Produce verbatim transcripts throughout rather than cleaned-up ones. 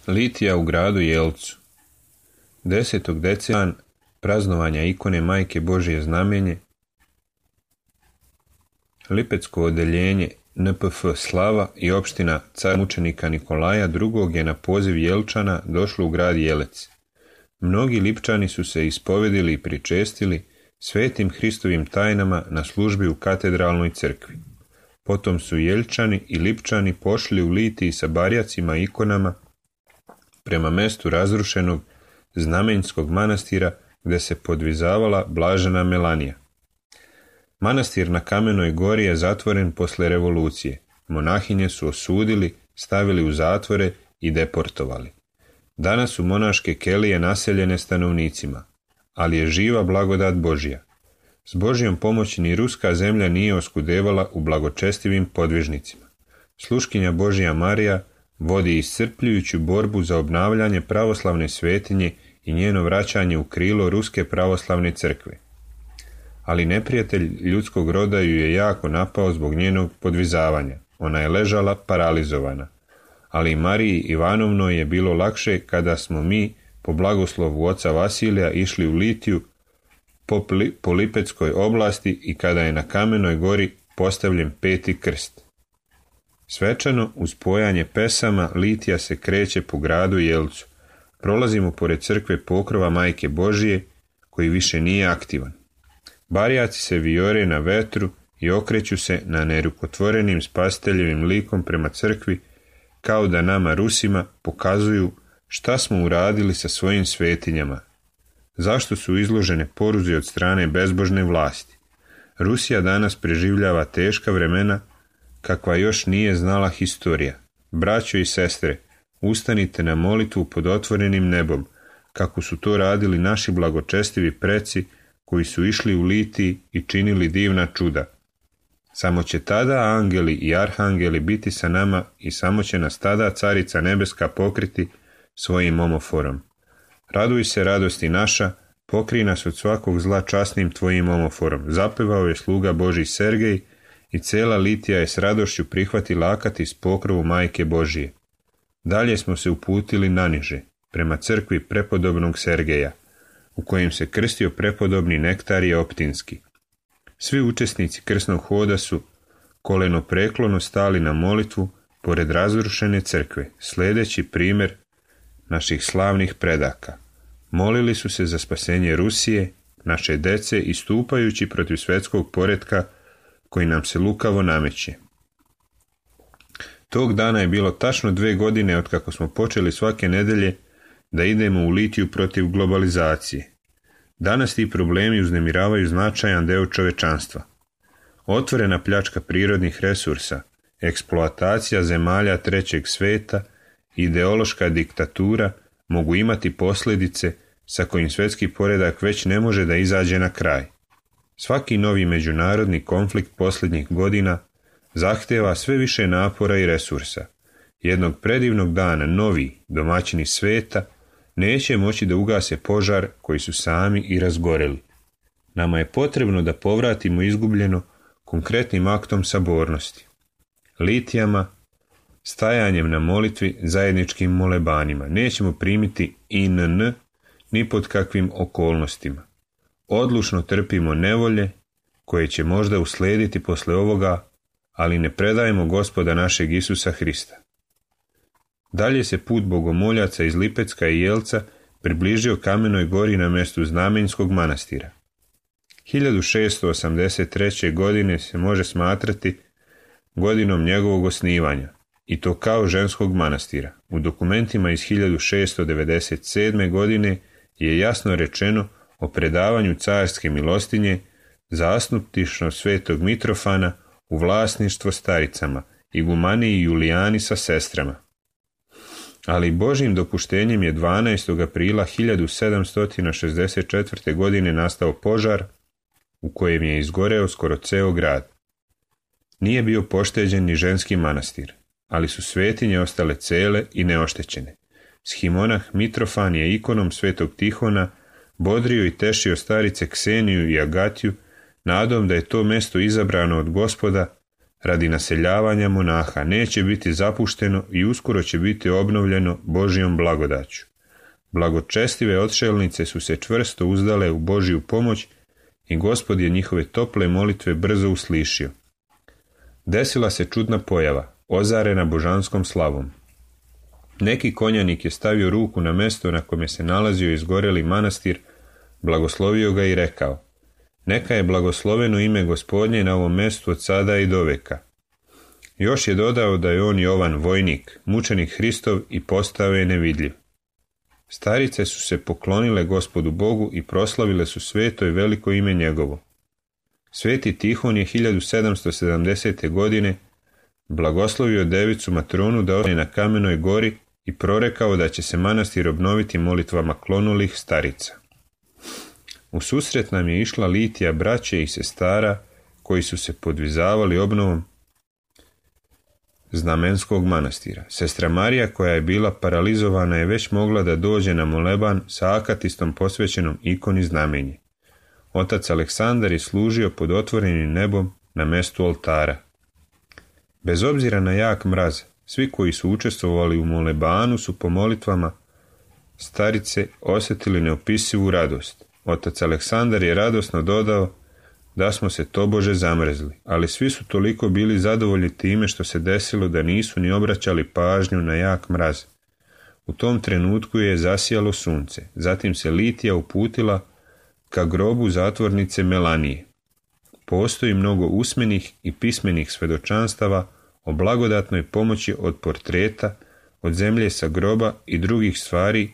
Litija u gradu Jelcu. desetog decembra praznovanja ikone Majke Božje znamenje, Lipetsko odeljenje N P F Slava i opština car mučenika Nikolaja drugog je na poziv Jelčana došlo u grad Jelec. Mnogi Lipčani su se ispovedili i pričestili svetim Hristovim tajnama na službi u katedralnoj crkvi. Potom su Jeljčani i Lipčani pošli u Litiji sa barjacima i ikonama prema mestu razrušenog znamenjskog manastira gde se podvizavala blažena Melanija. Manastir na Kamenoj gori je zatvoren posle revolucije. Monahinje su osudili, stavili u zatvore i deportovali. Danas su monaške kelije naseljene stanovnicima, ali je živa blagodat Božja. S Božjom pomoći ni ruska zemlja nije oskudevala u blagočestivim podvižnicima. Sluškinja Božja Marija vodi iscrpljujuću borbu za obnavljanje pravoslavne svetinje i njeno vraćanje u krilo ruske pravoslavne crkve. Ali neprijatelj ljudskog roda ju je jako napao zbog njenog podvizavanja. Ona je ležala paralizovana. Ali Mariji Ivanovnoj je bilo lakše kada smo mi, po blagoslovu oca Vasilija, išli u Litiju po, po Lipetskoj oblasti i kada je na Kamenoj gori postavljen peti krst. Svečano, uz pojanje pesama, Litija se kreće po gradu Jelcu. Prolazimo pored crkve pokrova Majke Božije, koji više nije aktivan. Barjaci se vijore na vetru i okreću se na nerukotvorenim spasiteljevim likom prema crkvi, kao da nama Rusima pokazuju šta smo uradili sa svojim svetinjama. Zašto su izložene poruzi od strane bezbožne vlasti? Rusija danas preživljava teška vremena kakva još nije znala historija. Braćo i sestre, ustanite na molitvu pod otvorenim nebom, kako su to radili naši blagočestivi preci koji su išli u litiji i činili divna čuda. Samo će tada angeli i arhangeli biti sa nama i samo će nas tada Carica nebeska pokriti svojim omoforom. Raduj se, radosti naša, pokrij nas od svakog zla časnim tvojim omoforom. Zapevao je sluga Božji Sergej i cela litija je s radošću prihvatila akati s pokrovu Majke Božije. Dalje smo se uputili naniže, prema crkvi prepodobnog Sergeja, u kojem se krstio prepodobni Nektarije Optinski. Svi učesnici krsnog hoda su koleno preklono stali na molitvu pored razrušene crkve, sledeći primjer naših slavnih predaka. Molili su se za spasenje Rusije, naše dece, istupajući protiv svetskog poretka koji nam se lukavo nameće. Tog dana je bilo tačno dve godine od kako smo počeli svake nedelje da idemo u litiju protiv globalizacije. Danas ti problemi uznemiravaju značajan deo čovečanstva. Otvorena pljačka prirodnih resursa, eksploatacija zemalja trećeg sveta, ideološka diktatura mogu imati posljedice sa kojim svetski poredak već ne može da izađe na kraj. Svaki novi međunarodni konflikt posljednjih godina zahteva sve više napora i resursa. Jednog predivnog dana novi domaćini sveta neće moći da ugase požar koji su sami i razgoreli. Nama je potrebno da povratimo izgubljeno konkretnim aktom sabornosti, litijama, stajanjem na molitvi, zajedničkim molebanima. Nećemo primiti I N N ni pod kakvim okolnostima. Odlučno trpimo nevolje koje će možda uslijediti posle ovoga, ali ne predajemo Gospoda našeg Isusa Hrista. Dalje se put bogomoljaca iz Lipecka i Jelca približio Kamenoj gori na mjestu Znamenjskog manastira. hiljadu šeststo osamdeset treće. godine se može smatrati godinom njegovog osnivanja, i to kao ženskog manastira. U dokumentima iz hiljadu šeststo devedeset sedme. godine je jasno rečeno o predavanju carske milostinje zastupništvo svetog Mitrofana u vlasništvo staricama, igumaniji Julijani sa sestrama. Ali Božjim dopuštenjem je dvanaestog aprila hiljadu sedamsto šezdeset četvrte. godine nastao požar u kojem je izgoreo skoro ceo grad. Nije bio pošteđen ni ženski manastir, ali su svetinje ostale cele i neoštećene. Shimonah Mitrofan je ikonom svetog Tihona bodrio i tešio starice Kseniju i Agatiju nadom da je to mesto izabrano od Gospoda radi naseljavanja monaha, neće biti zapušteno i uskoro će biti obnovljeno Božjom blagodaću. Blagočestive odšelnice su se čvrsto uzdale u Božju pomoć i Gospod je njihove tople molitve brzo uslišio. Desila se čudna pojava, ozarena božanskom slavom. Neki konjanik je stavio ruku na mesto na kome se nalazio izgoreli manastir, blagoslovio ga i rekao: neka je blagosloveno ime Gospodnje na ovom mestu od sada i do veka. Još je dodao da je on Jovan vojnik, mučenik Hristov i postao je nevidljiv. Starice su se poklonile Gospodu Bogu i proslavile su sveto i veliko ime njegovo. Sveti Tihon je hiljadu sedamsto sedamdesete. godine blagoslovio devicu Matronu da ostane na Kamenoj gori i prorekao da će se manastir obnoviti molitvama klonulih starica. U susret nam je išla litija braće i sestara koji su se podvizavali obnovom Znamenskog manastira. Sestra Marija, koja je bila paralizovana, je već mogla da dođe na moleban sa akatistom posvećenom ikoni Znamenje. Otac Aleksandar je služio pod otvorenim nebom na mestu oltara. Bez obzira na jak mraz, svi koji su učestvovali u molebanu su po molitvama starice osjetili neopisivu radost. Otac Aleksandar je radosno dodao da smo se tobože zamrzli, ali svi su toliko bili zadovoljni time što se desilo da nisu ni obraćali pažnju na jak mraz. U tom trenutku je zasijalo sunce, zatim se litija uputila ka grobu zatvornice Melanije. postoji mnogo usmenih i pismenih svedočanstava o blagodatnoj pomoći od portreta, od zemlje sa groba i drugih stvari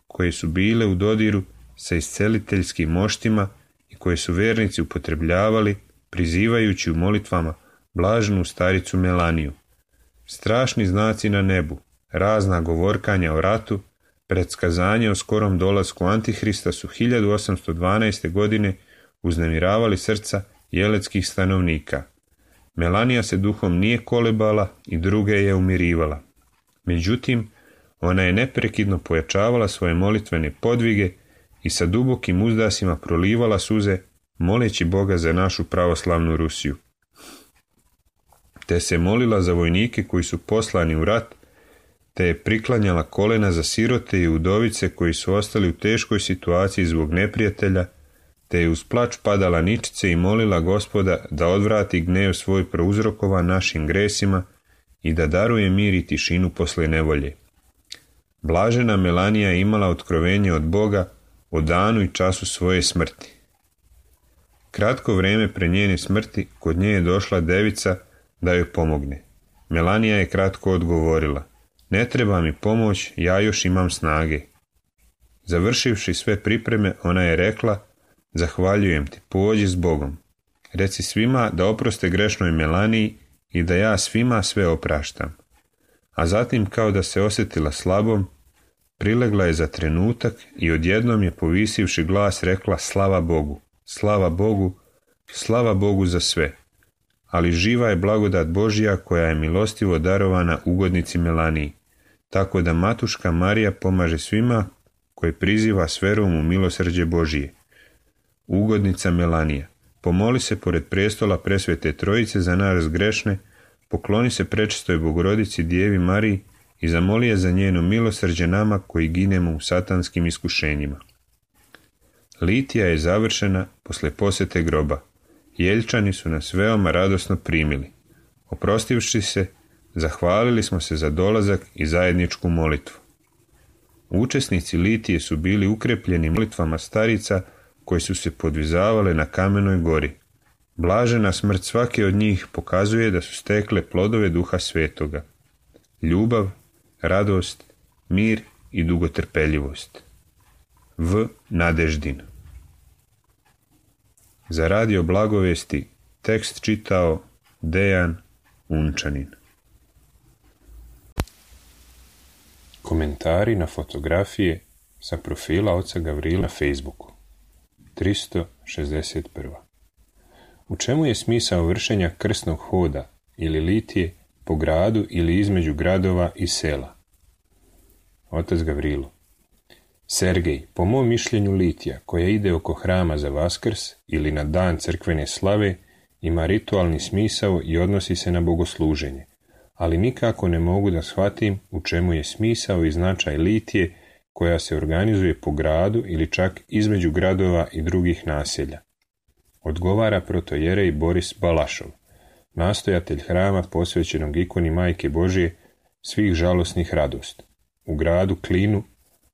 koje su bile u dodiru sa isceliteljskim moštima i koje su vernici upotrebljavali, prizivajući u molitvama blaženu staricu Melaniju. Strašni znaci na nebu, razna govorkanja o ratu, predskazanje o skorom dolasku Antihrista su hiljadu osamsto dvanaeste. godine uznemiravali srca jeletskih stanovnika. Melanija se duhom nije kolebala i druge je umirivala. Međutim, ona je neprekidno pojačavala svoje molitvene podvige i sa dubokim uzdasima prolivala suze, moleći Boga za našu pravoslavnu Rusiju. Te se molila za vojnike koji su poslani u rat, te je priklanjala kolena za sirote i udovice koji su ostali u teškoj situaciji zbog neprijatelja, te je uz plač padala ničice i molila Gospoda da odvrati gnev svoj prouzrokovan našim gresima i da daruje mir i tišinu posle nevolje. Blažena Melanija je imala otkrovenje od Boga o danu i času svoje smrti. Kratko vreme pre njene smrti kod nje je došla devica da joj pomogne. Melanija je kratko odgovorila: ne treba mi pomoć, ja još imam snage. Završivši sve pripreme, ona je rekla: zahvaljujem ti, pođi s Bogom. Reci svima da oproste grešnoj Melaniji i da ja svima sve opraštam. A zatim, kao da se osjetila slabom, prilegla je za trenutak i odjednom je povisivši glas rekla: slava Bogu, slava Bogu, slava Bogu za sve. Ali živa je blagodat Božja koja je milostivo darovana ugodnici Melaniji, tako da matuška Marija pomaže svima koje priziva s verom u milosrđe Božije. Ugodnica Melanija, pomoli se pored prestola presvete Trojice za nas grešne, pokloni se prečistoj Bogorodici Djevi Mariji i zamoli je za njeno milosrđe nama koji ginemo u satanskim iskušenjima. Litija je završena posle posete groba. Jeljčani su nas veoma radosno primili. Oprostivši se, zahvalili smo se za dolazak i zajedničku molitvu. Učesnici litije su bili ukrepljeni molitvama starica koje su se podvizavale na kamenoj gori. Blažena smrt svake od njih pokazuje da su stekle plodove Duha Svetoga: ljubav, radost, mir i dugotrpeljivost. V. Nadeždin. Za radio Blagovesti tekst čitao Dejan Unčanin. Komentari na fotografije sa profila oca Gavrila na Facebooku. tristo šezdeset prva. U čemu je smisao vršenja krsnog hoda ili litije po gradu ili između gradova i sela? Otac Gavrilo: Sergej, po mom mišljenju litija koja ide oko hrama za Vaskrs ili na dan crkvene slave ima ritualni smisao i odnosi se na bogosluženje, ali nikako ne mogu da shvatim u čemu je smisao i značaj litije koja se organizuje po gradu ili čak između gradova i drugih naselja. Odgovara protojerej Boris Balašov, nastojatelj hrama posvećenog ikoni Majke Božije svih žalosnih radost, u gradu Klinu,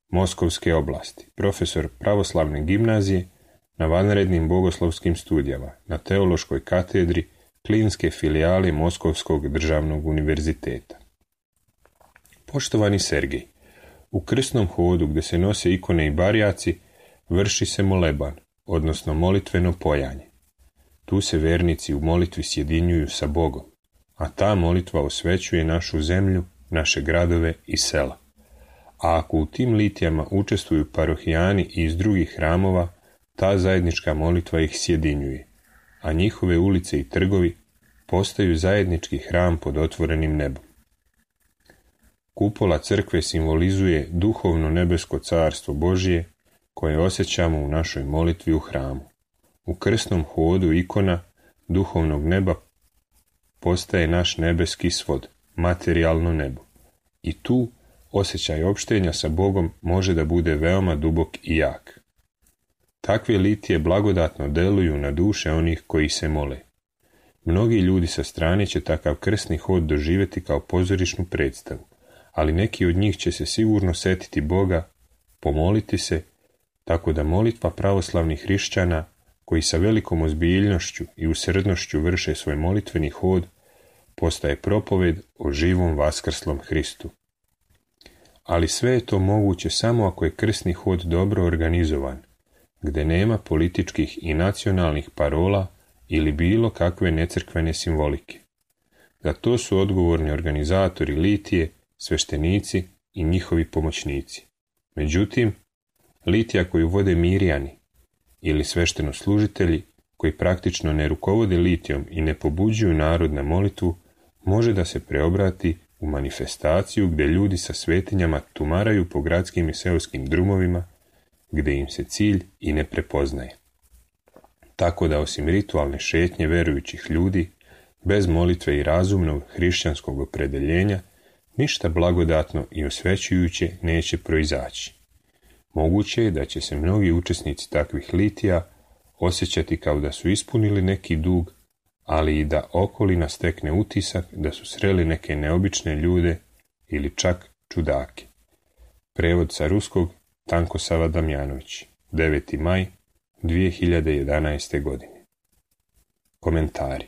Moskovske oblasti, profesor pravoslavne gimnazije na vanrednim bogoslovskim studijama na teološkoj katedri Klinske filijale Moskovskog državnog univerziteta. Poštovani Sergej, u krsnom hodu gdje se nose ikone i barjaci vrši se moleban, odnosno molitveno pojanje. Tu se vernici u molitvi sjedinjuju sa Bogom, a ta molitva osvećuje našu zemlju, naše gradove i sela. A ako u tim litijama učestvuju parohijani i iz drugih hramova, ta zajednička molitva ih sjedinjuje, a njihove ulice i trgovi postaju zajednički hram pod otvorenim nebom. Kupola crkve simbolizuje duhovno nebesko carstvo Božije koje osjećamo u našoj molitvi u hramu. U krsnom hodu ikona duhovnog neba postaje naš nebeski svod, materijalno nebo. I tu osjećaj opštenja sa Bogom može da bude veoma dubok i jak. Takve litije blagodatno deluju na duše onih koji se mole. Mnogi ljudi sa strane će takav krsni hod doživjeti kao pozorišnu predstavu, ali neki od njih će se sigurno setiti Boga, pomoliti se, tako da molitva pravoslavnih hrišćana koji sa velikom ozbiljnošću i usrdnošću vrše svoj molitveni hod, postaje propoved o živom vaskrslom Hristu. Ali sve je to moguće samo ako je krsni hod dobro organizovan, gde nema političkih i nacionalnih parola ili bilo kakve necrkvene simbolike. Za to su odgovorni organizatori litije, sveštenici i njihovi pomoćnici. Međutim, litija koju vode Mirjani ili sveštenoslужitelji koji praktično ne rukovode litijom i ne pobuđuju narod na molitvu, može da se preobrati u manifestaciju gdje ljudi sa svetinjama tumaraju po gradskim i seoskim drumovima, gdje im se cilj i ne prepoznaje. Tako da osim ritualne šetnje verujućih ljudi, bez molitve i razumnog hrišćanskog opredeljenja, ništa blagodatno i osvećujuće neće proizaći. Moguće je da će se mnogi učesnici takvih litija osjećati kao da su ispunili neki dug, ali i da okolina stekne utisak da su sreli neke neobične ljude ili čak čudake. Prevod sa ruskog Tankosava Damjanović, deveti maj dvije hiljade jedanaeste. godine. Komentari.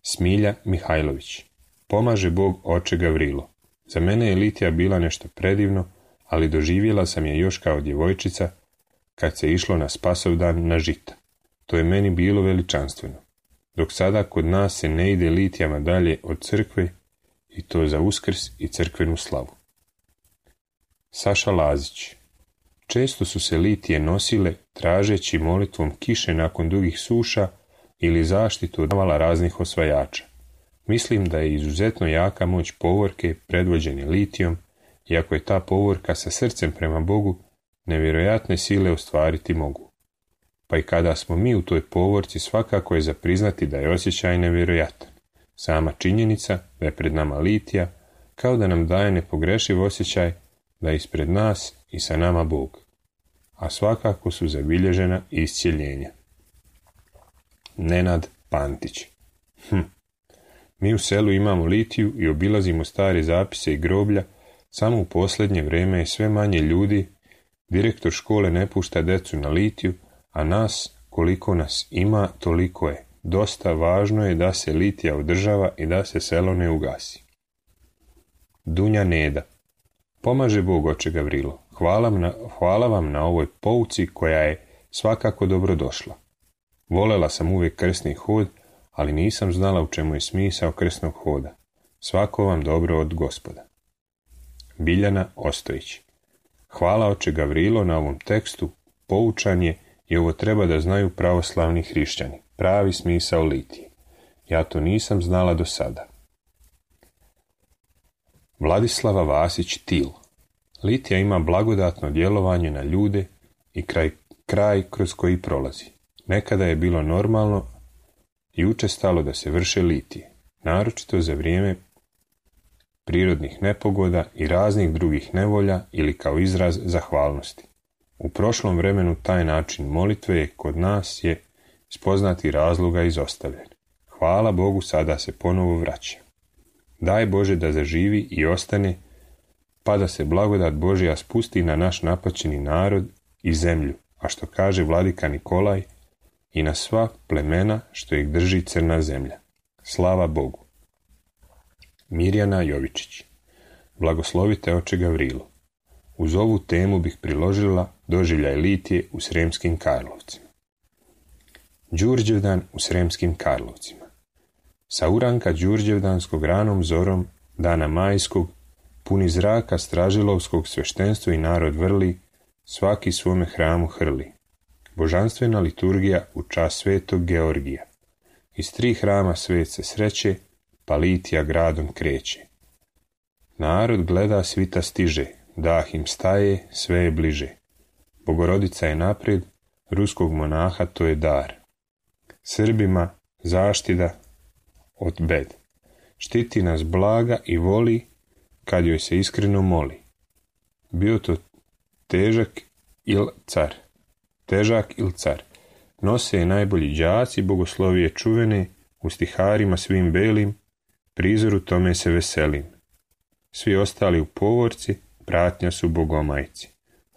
Smilja Mihajlović. Pomaže Bog oče Gavrilo. Za mene je litija bila nešto predivno, ali doživjela sam je još kao djevojčica kad se išlo na Spasovdan na žita. To je meni bilo veličanstveno. Dok sada kod nas se ne ide litijama dalje od crkve i to za Uskrs i crkvenu slavu. Saša Lazić. Često su se litije nosile tražeći molitvom kiše nakon dugih suša ili zaštitu od navala raznih osvajača. Mislim da je izuzetno jaka moć povorke predvođene litijom, iako je ta povorka sa srcem prema Bogu, nevjerojatne sile ostvariti mogu. Pa i kada smo mi u toj povorci, svakako je za priznati da je osjećaj nevjerojatan. Sama činjenica da je pred nama litija, kao da nam daje nepogrešiv osjećaj da je ispred nas i sa nama Bog. A svakako su zabilježena iscjeljenja. Nenad Pantić. Hm. Mi u selu imamo litiju i obilazimo stare zapise i groblja, samo u posljednje vrijeme je sve manje ljudi, direktor škole ne pušta decu na litiju, a nas, koliko nas ima, toliko je. Dosta važno je da se litija održava i da se selo ne ugasi. Dunja Neda. Pomaže Bog oče Gavrilo. Hvala, na, hvala vam na ovoj pouci koja je svakako dobro došla. Volela sam uvijek krsni hod, ali nisam znala u čemu je smisao krsnog hoda. Svako vam dobro od Gospoda. Biljana Ostojić. Hvala oče Gavrilo na ovom tekstu, poučan je i ovo treba da znaju pravoslavni hrišćani. Pravi smisao litije. Ja to nisam znala do sada. Vladislava Vasić Til. Litija ima blagodatno djelovanje na ljude i kraj, kraj kroz koji prolazi. Nekada je bilo normalno i učestalo da se vrše litije, naročito za vrijeme prirodnih nepogoda i raznih drugih nevolja ili kao izraz zahvalnosti. U prošlom vremenu taj način molitve je kod nas je iz poznatih razloga izostavljen. Hvala Bogu, sada se ponovo vraća. Daj Bože da zaživi i ostane, pa da se blagodat Božja spusti na naš napaćeni narod i zemlju, a što kaže vladika Nikolaj, i na sva plemena što ih drži crna zemlja. Slava Bogu. Mirjana Jovičić. Blagoslovite oče Gavrilo. Uz ovu temu bih priložila doživljaj litije u Sremskim Karlovcima. Đurđevdan u Sremskim Karlovcima. Sa uranka Đurđevdanskog ranom zorom, dana majskog, puni zraka stražilovskog sveštenstvo i narod vrli, svaki svome hramu hrli. Božanstvena liturgija u čas svetog Georgija. Iz tri hrama svet se sreće, pa litija gradom kreće. Narod gleda, svita stiže, dah im staje, sve je bliže. Bogorodica je napred, ruskog monaha to je dar. Srbima zaštida od bed. Štiti nas blaga i voli, kad joj se iskreno moli. Bio to težak il car. Težak il car. Nose je najbolji đaci, bogoslovije čuvene, u stiharima svim belim, prizoru tome se veselim. Svi ostali u povorci, pratnja su bogomajci.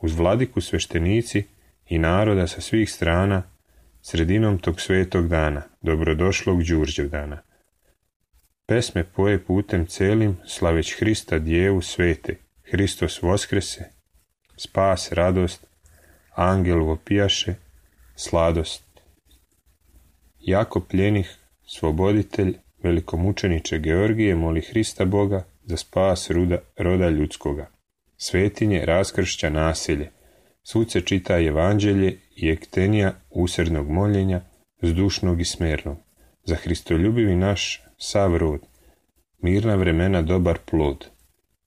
Uz vladiku sveštenici i naroda sa svih strana, sredinom tog svetog dana, dobrodošlog Đurđevdana. Pesme poje putem celim, slaveć Hrista Djevu svete, Hristos voskrese, spas, radost, angel vopijaše, sladost. Jako pljenih, svoboditelj, velikomučeniče Georgije, moli Hrista Boga za spas ruda, roda ljudskoga. Svetinje raskršća naselje, svud se čita evanđelje i ektenija usrednog moljenja, zdušnog i smernog. Za Hristoljubivi naš sav rod, mirna vremena dobar plod.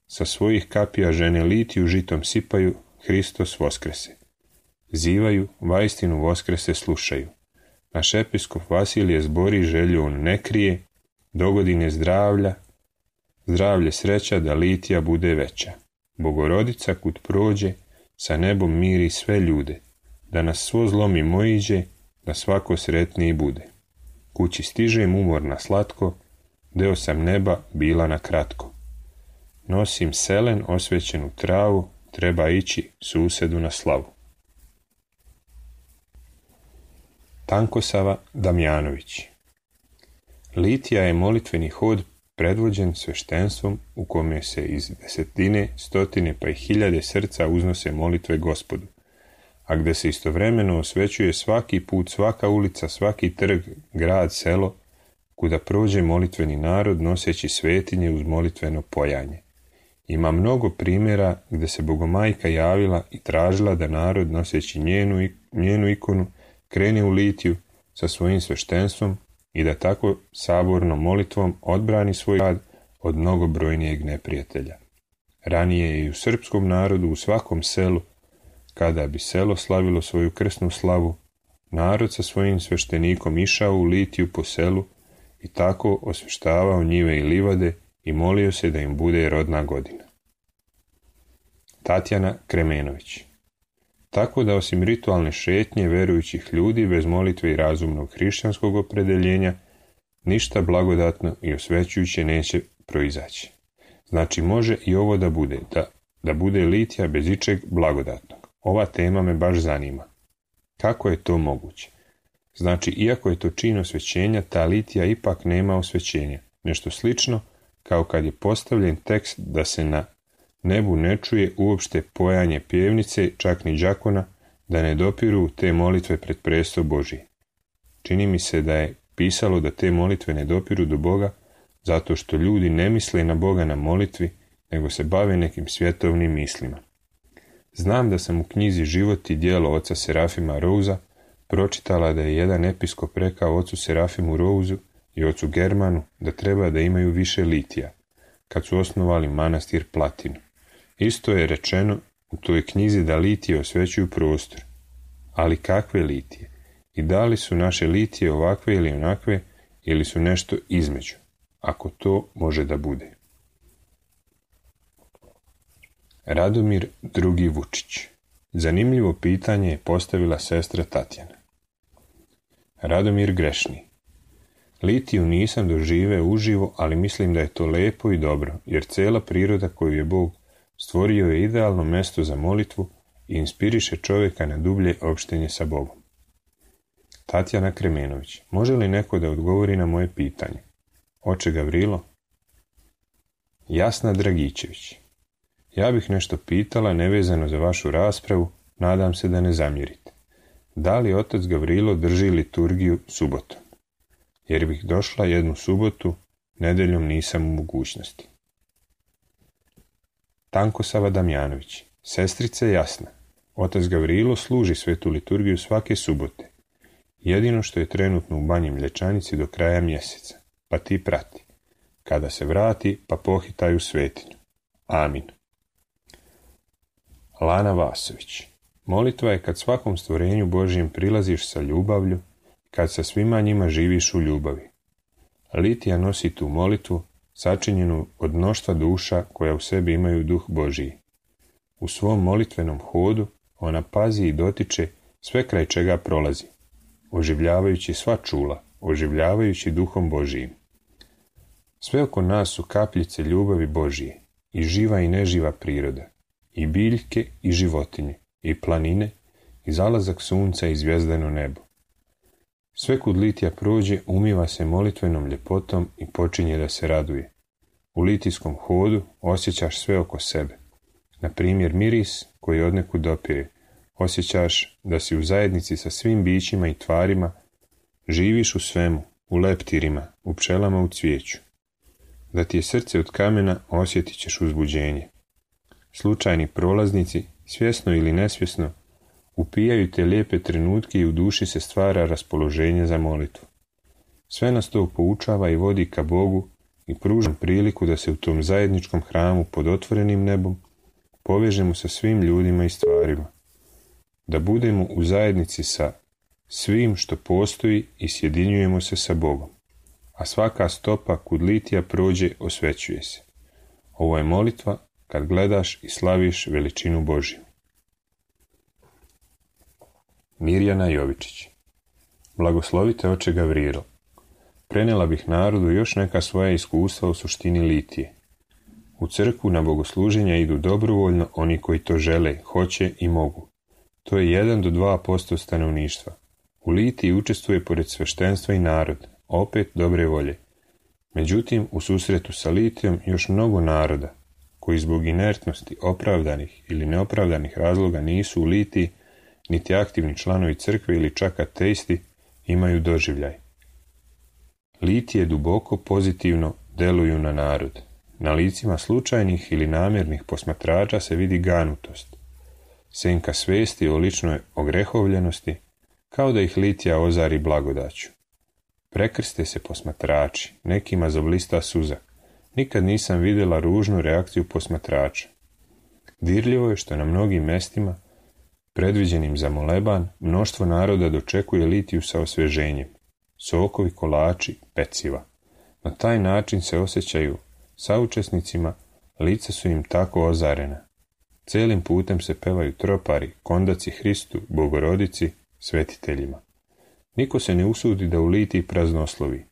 Sa svojih kapija žene litiju žitom sipaju, Hristos voskrese. Zivaju, vaistinu voskrese slušaju. Naš episkop Vasilije zbori želju on ne krije, dogodine zdravlja, zdravlje sreća da litija bude veća. Bogorodica kud prođe, sa nebom miri sve ljude, da nas svo zlo mimo iđe, da svako sretniji bude. Kući stižem umorna slatko, deo sam neba bila na kratko. Nosim selen osvećenu travu, treba ići susedu na slavu. Tankosava Damjanović. Litija je molitveni hod predvođen sveštenstvom u kome se iz desetine, stotine pa i hiljade srca uznose molitve Gospodu, a gde se istovremeno osvećuje svaki put, svaka ulica, svaki trg, grad, selo, kuda prođe molitveni narod noseći svetinje uz molitveno pojanje. Ima mnogo primjera gde se Bogomajka javila i tražila da narod noseći njenu, njenu ikonu krene u litiju sa svojim sveštenstvom i da tako sabornom molitvom odbrani svoj grad od mnogobrojnijeg neprijatelja. Ranije je i u srpskom narodu u svakom selu, kada bi selo slavilo svoju krsnu slavu, narod sa svojim sveštenikom išao u litiju po selu i tako osveštavao njive i livade i molio se da im bude rodna godina. Tatjana Kremenović. Tako da osim ritualne šetnje verujućih ljudi bez molitve i razumnog hrišćanskog opredeljenja, ništa blagodatno i osvećujuće neće proizaći. Znači može i ovo da bude, da, da bude litija bez ičeg blagodatnog. Ova tema me baš zanima. Kako je to moguće? Znači, iako je to čin osvećenja, ta litija ipak nema osvećenja. Nešto slično kao kad je postavljen tekst da se na nebu ne čuje uopšte pojanje pjevnice, čak ni đakona, da ne dopiru te molitve pred presto Božji. Čini mi se da je pisalo da te molitve ne dopiru do Boga, zato što ljudi ne misle na Boga na molitvi, nego se bave nekim svjetovnim mislima. Znam da sam u knjizi Život i djelo oca Serafima Rouza pročitala da je jedan episkop rekao ocu Serafimu Rouzu i ocu Germanu da treba da imaju više litija, kad su osnovali manastir Platinu. Isto je rečeno u toj knjizi da litije osvećuju prostor. Ali kakve litije? I da li su naše litije ovakve ili onakve, ili su nešto između? Ako to može da bude. Radomir drugi Vučić. Zanimljivo pitanje je postavila sestra Tatjana. Radomir grešni. Litiju nisam doživeo uživo, ali mislim da je to lepo i dobro, jer cela priroda koju je Bog stvorio je idealno mesto za molitvu i inspiriše čovjeka na dublje opštenje sa Bogom. Tatjana Kremenović. Može li neko da odgovori na moje pitanje? Oče Gavrilo? Jasna Dragičević. Ja bih nešto pitala nevezano za vašu raspravu, nadam se da ne zamjerite. Da li otac Gavrilo drži liturgiju subotom? Jer bih došla jednu subotu, nedeljom nisam u mogućnosti. Tankosava Damjanović. Sestrice Jasna. Otac Gavrilo služi svetu liturgiju svake subote. Jedino što je trenutno u Banji Mlječanici do kraja mjeseca, pa ti prati. Kada se vrati, pa pohitaju svetinju. Amin. Lana Vasović. Molitva je kad svakom stvorenju Božjem prilaziš sa ljubavlju, kad sa svima njima živiš u ljubavi. Litija nosi tu molitvu, sačinjenu od mnoštva duša koja u sebi imaju duh Božiji. U svom molitvenom hodu ona pazi i dotiče sve kraj čega prolazi, oživljavajući sva čula, oživljavajući duhom Božijim. Sve oko nas su kapljice ljubavi Božije, i živa i neživa priroda, i biljke i životinje, i planine, i zalazak sunca i zvijezdano nebo. Sve kud litija prođe, umiva se molitvenom ljepotom i počinje da se raduje. U litijskom hodu osjećaš sve oko sebe. Na primjer miris koji odnekud dopire. Osjećaš da si u zajednici sa svim bićima i tvarima, živiš u svemu, u leptirima, u pčelama u cvijeću. Da ti je srce od kamena, osjetit ćeš uzbuđenje. Slučajni prolaznici, svjesno ili nesvjesno, upijaju te lijepe trenutke i u duši se stvara raspoloženje za molitvu. Sve nas to poučava i vodi ka Bogu i pruža priliku da se u tom zajedničkom hramu pod otvorenim nebom povežemo sa svim ljudima i stvarima. Da budemo u zajednici sa svim što postoji i sjedinjujemo se sa Bogom. A svaka stopa kud litija prođe osvećuje se. Ovo je molitva kad gledaš i slaviš veličinu Božju. Mirjana Jovičić. Blagoslovite oče Gavrilo. Prenela bih narodu još neka svoja iskustva u suštini litije. U crkvu na bogosluženja idu dobrovoljno oni koji to žele, hoće i mogu. To je jedan do dva posto stanovništva. U litiji učestvuje pored sveštenstva i narod, opet dobre volje. Međutim, u susretu sa litijom još mnogo naroda, koji zbog inertnosti, opravdanih ili neopravdanih razloga nisu u litiji, niti aktivni članovi crkve ili čak ateisti, imaju doživljaj. Litije duboko pozitivno deluju na narod. Na licima slučajnih ili namjernih posmatrača se vidi ganutost, senka svesti o ličnoj ogrehovljenosti, kao da ih litija ozari blagodaću. Prekrste se posmatrači, nekima zablista suza. Nikad nisam vidjela ružnu reakciju posmatrača. Dirljivo je što na mnogim mestima, predviđenim za moleban, mnoštvo naroda dočekuje litiju sa osvježenjem. Sokovi, kolači, peciva. Na taj način se osjećaju saučesnicima, lica su im tako ozarena. Celim putem se pevaju tropari, kondaci Hristu, Bogorodici, svetiteljima. Niko se ne usudi da u litiji praznoslovi.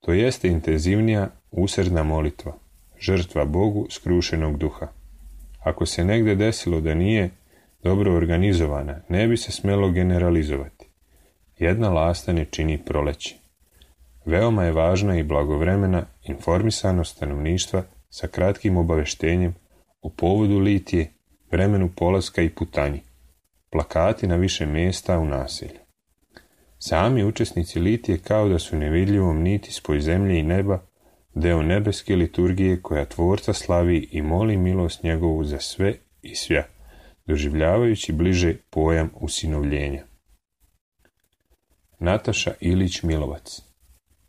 To jeste intenzivnija, usrdna molitva, žrtva Bogu skrušenog duha. Ako se negde desilo da nije dobro organizovana, ne bi se smelo generalizovati. Jedna lasta ne čini proleće. Veoma je važna i blagovremena informisanost stanovništva sa kratkim obaveštenjem o povodu litije, vremenu polaska i putanji, plakati na više mjesta u naselju. Sami učesnici litije kao da su nevidljivom niti spoj zemlje i neba, deo nebeske liturgije koja Tvorca slavi i moli milost njegovu za sve i svja, doživljavajući bliže pojam usinovljenja. Nataša Ilić Milovac.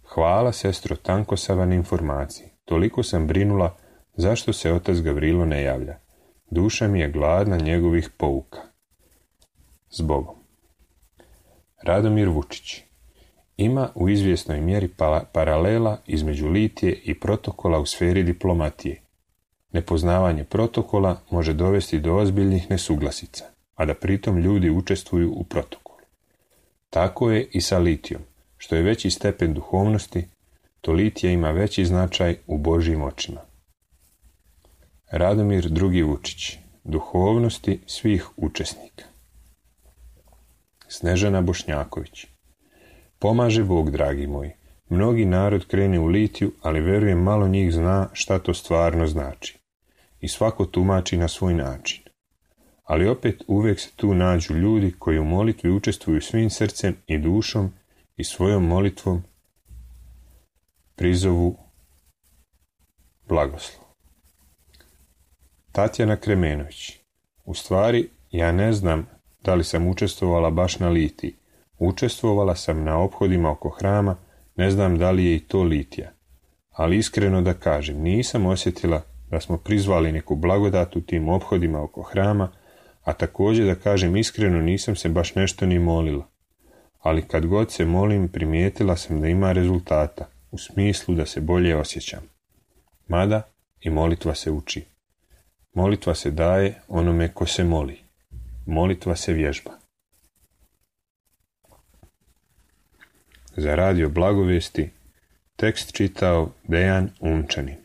Hvala, sestro Tankosava, na informaciji. Toliko sam brinula zašto se otac Gavrilo ne javlja. Duša mi je gladna njegovih pouka. Zbogom. Radomir Vučić. Ima u izvjesnoj mjeri pa- paralela između litije i protokola u sferi diplomatije. Nepoznavanje protokola može dovesti do ozbiljnih nesuglasica, a da pritom ljudi učestvuju u protokolu. Tako je i sa litijom. Što je veći stepen duhovnosti, to litija ima veći značaj u Božjim očima. Radomir drugi Vučić. Duhovnosti svih učesnika. Snežana Bošnjaković. Pomaže Bog, dragi moji. Mnogi narod krene u litiju, ali verujem malo njih zna šta to stvarno znači. I svako tumači na svoj način. Ali opet uvijek se tu nađu ljudi koji u molitvi učestvuju svim srcem i dušom i svojom molitvom prizovu blagoslov. Tatjana Kremenović. U stvari, ja ne znam da li sam učestvovala baš na litiji. Učestvovala sam na ophodima oko hrama, ne znam da li je i to litija. Ali iskreno da kažem, nisam osjetila da smo prizvali neku blagodat u tim ophodima oko hrama, a također da kažem iskreno nisam se baš nešto ni molila. Ali kad god se molim, primijetila sam da ima rezultata, u smislu da se bolje osjećam. Mada i molitva se uči. Molitva se daje onome ko se moli. Molitva se vježba. Za radio Blagovijesti tekst čitao Dejan Unčanin.